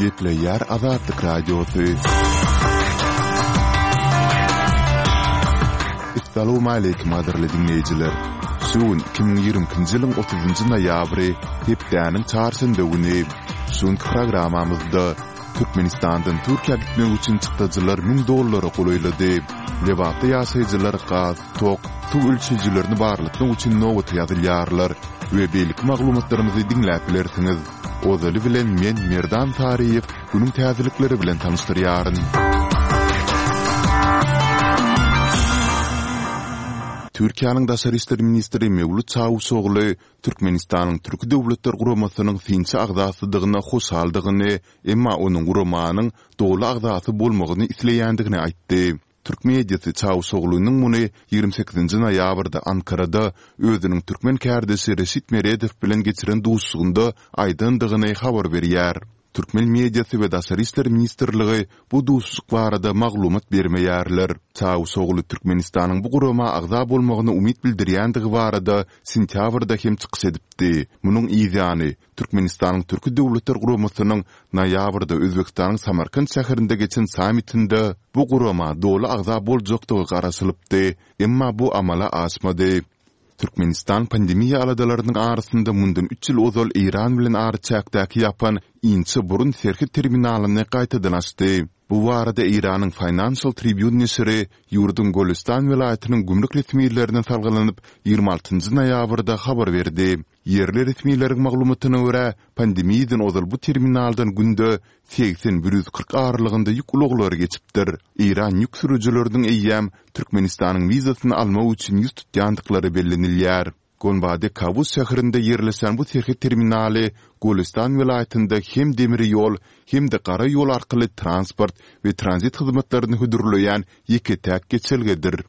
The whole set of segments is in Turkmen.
Gepleýär Azatlyk Radiosy. Essalawmaleýkim gadyrly diňleýjiler! Şu gün 2022-nji ýylyň 30-njy noýabry, hepdäniň çarşenbe güni. Şu günki programmamyzda Türkmenistandan Türkiýä gitmek üçin çykdajylar 1000 dollara golaýlady. Lebapda ýaşaýjylar gaz, tok, suw ölçeýjilerini barlatmak üçin nobata ýazylýarlar we beýleki maglumatlarymyzy diňläp bilersiňiz. Ozaly bilen men Merdan Saryýew günüň täzelikleri bilen tanyşdyrýaryn. Türkiýäniň daşary işler ministri Mewlüt Çawuşogly Türkmenistanyň Türki Döwletler Guramasynyň synçy agzasydygyna hoşaldygyny, emma onuň guramanyň doly agzasy bolmagyny isleýändigini aýtdy. Türk mediasy Çawuşoglunyň muny 28 noýabrda Ankarada özüniň türkmen kärdeşi Reşit Meredow bilen geçiren duşuşygynda aýdandygyny habar berýär. Türkmen mediasy we Daşary işler ministrligi bu duşuşyk barada maglumat bermeýärler. Çawuşogly Türkmenistanyň bu gurama agza bolmagyna umyt bildirýändigi barada sentýabrda hem çykyş edipdi. Munuň yzýany, Türkmenistanyň Türki Döwletler Guramasynyň noýabrda Özbegistanyň Samarkant şäherinde geçen sammitinde bu gurama doly agza boljakdygy garaşylypdy, emma bu amala aşmady. Türkmenistan pandemiýa aladalarynyň arasynda mundan üç ýyl ozal Eýran bilen araçäkdäki ýapan Inçe burun serhet terminalyny gaýtadan açdy. Bu barada Eýranyň Financial Tribune neşiri ýurduň Golestan welaýatynyň gümrük resmilerine salgylanyp, 26 noýabrda habar berdi. Ýerli resmileriň maglumatyna görä, pandemiýadan ozal bu terminaldan günde 80, 140 aralygynda ýük ulaglary geçipdir. Eýran ýük sürüjileriniň eýýäm Türkmenistanyň wizasyny almak üçin ýüz tutýandyklary bellenilýär. Gonbade Kawus şäherinde ýerleşen bu serhet terminaly Golestan welaýatynda hem demir ýol, hem-de gara ýol arkaly transport we tranzit hyzmatlaryny hödürleýän ýeke-täk geçelgedir.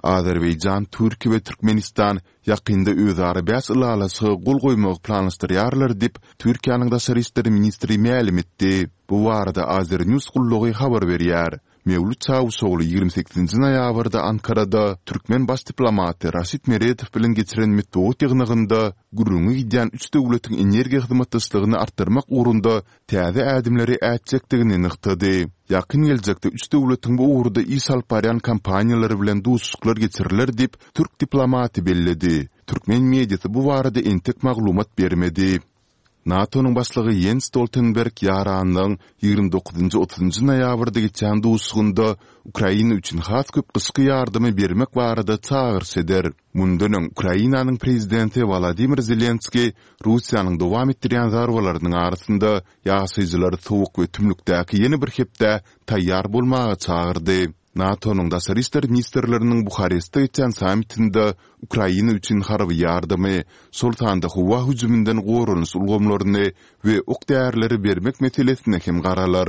Azerbaýjan, Türkiýe we Türkmenistan ýakynda özara bäş ylalaşyga gol goýmagy planlaşdyrýarlar diýip, Türkiýäniň daşary işler ministri mälim etdi. Bu barada Azernews gullugy habar berýär. Mewlüt Çawuşogly 28 nji noýabrda Ankarada türkmen baş diplomaty Raşid Meredow bilen geçiren metbugat ýygnagynda gürrüňi gidýän üç döwletiň energiýa hyzmatdaşlygyny artdyrmak ugrunda täze ädimleri ätjekdigini nygtady. Ýakyn geljekde üç döwletiň bu ugurda iş alyp barýan kompaniýalary bilen duşuşyklar geçiriler diýip, türk diplomaty belledi. Türkmen mediasy bu barada entek maglumat bermedi. NATO-nyň başlygy Ýens Stoltenberg ýaranlygyň 29 otuzynjy noýabrda geçýän duşuşygynda Ukraina üçin has köp gyşky ýardymy bermek barada çagyryş eder. Mundan öň, Ukrainanyň prezidenti Wolodymyr Zelenskiý Russiýanyň dowam etdirýän zarbalarynyň arasynda ýaşaýjylary sowuk we tümlükdäki ýene bir hepdä taýýar bolmaga çagyrdy. NATO-nyň daşary işler ministrleriniň Buharestde geçýän sammitinde Ukraina üçin harby ýardamy, şol sanda howa hüjüminden goranyş ulgamlaryny we ok-därileri bermek meselesine hem garalar.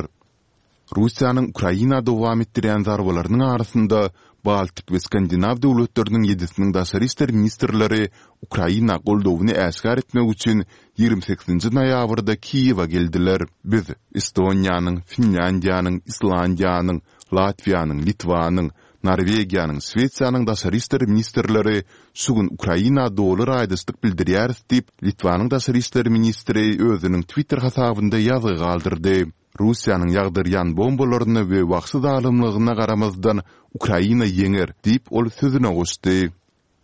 Russiýanyň Ukraina dowam etdirýän zarbalarynyň arasynda Baltik we Skandinaw döwletleriniň ýedisiniň daşary işler ministrleri Ukraina goldawyny äşgär etmek üçin 28-nji noýabrda Kiýewe geldiler. Biz Estoniýanyň, Finlýandiýanyň, Islandiýanyň, Latwiýanyň, Litwanyň, Norwegiýanyň, Şwesiýanyň daşary işler ministrleri şu gün Ukraina doly raýdaşlyk bildirýäris diýip, Litwanyň daşary işler ministri özüniň Twitter hasabynda ýazgy galdyrdy. Russiýanyň ýagdyrýan bombalaryna we wagşy zalymlygyna garamazdan, Ukraina ýeňer, diýip, ol sözüne goşdy.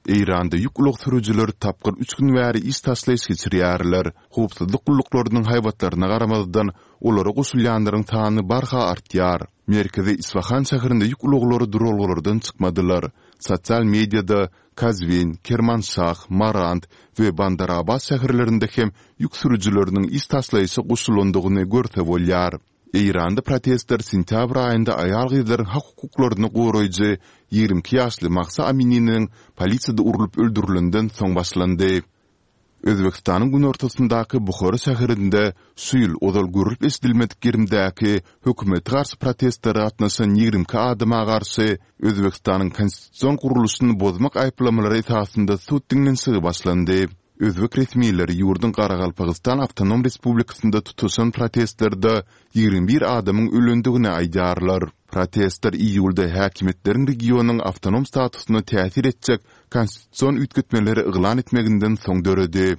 Eýranda ýük ulag sürüjileri tapgyr üç gün bäri iş taşlaýyş geçirýärler. Howpsuzlyk gulluklarynyň haýbatlaryna garamazdan, olara goşulýanlaryň sany barha artýar. Merkezi Isfahan şäherinde ýük ulaglary duralgalardan çykmadylar. Sosial mediada Kazwin, Kermanşah, Marand we Bandar-Abbas şäherlerinde hem ýük sürüjileriniň iş taşlaýşa goşulandygyny görse bolýar. Eýranda protestler sentýabr aýynda aýal-gyzlaryň hak-hukuklaryny goraýjy 22 ýaşly Mahsa Amininiň polisiýada urlup öldürilenden soň başlandy. Özbegistanyň günortasyndaky Buhara şäherinde şu ýyl ozal görlüp-eşidilmedik gerimdäki hökümete garşy protestlere gatnaşan 22 adama garşy Özbegistanyň konstitusion gurluşyny bozmak aýyplamalary esasynda sud diňlenişigi başlandy. Özbek resmileri ýurduň Garagalpagystan awtonom respublikasynda tutaşan protestlerde 21 adamyň ölendigini aýdýarlar. Protestler iýulda häkimiýetleriň regionyň awtonom statusyna täsir etjek konstitusion üýtgetmeleri yglan etmeginden soň döredi.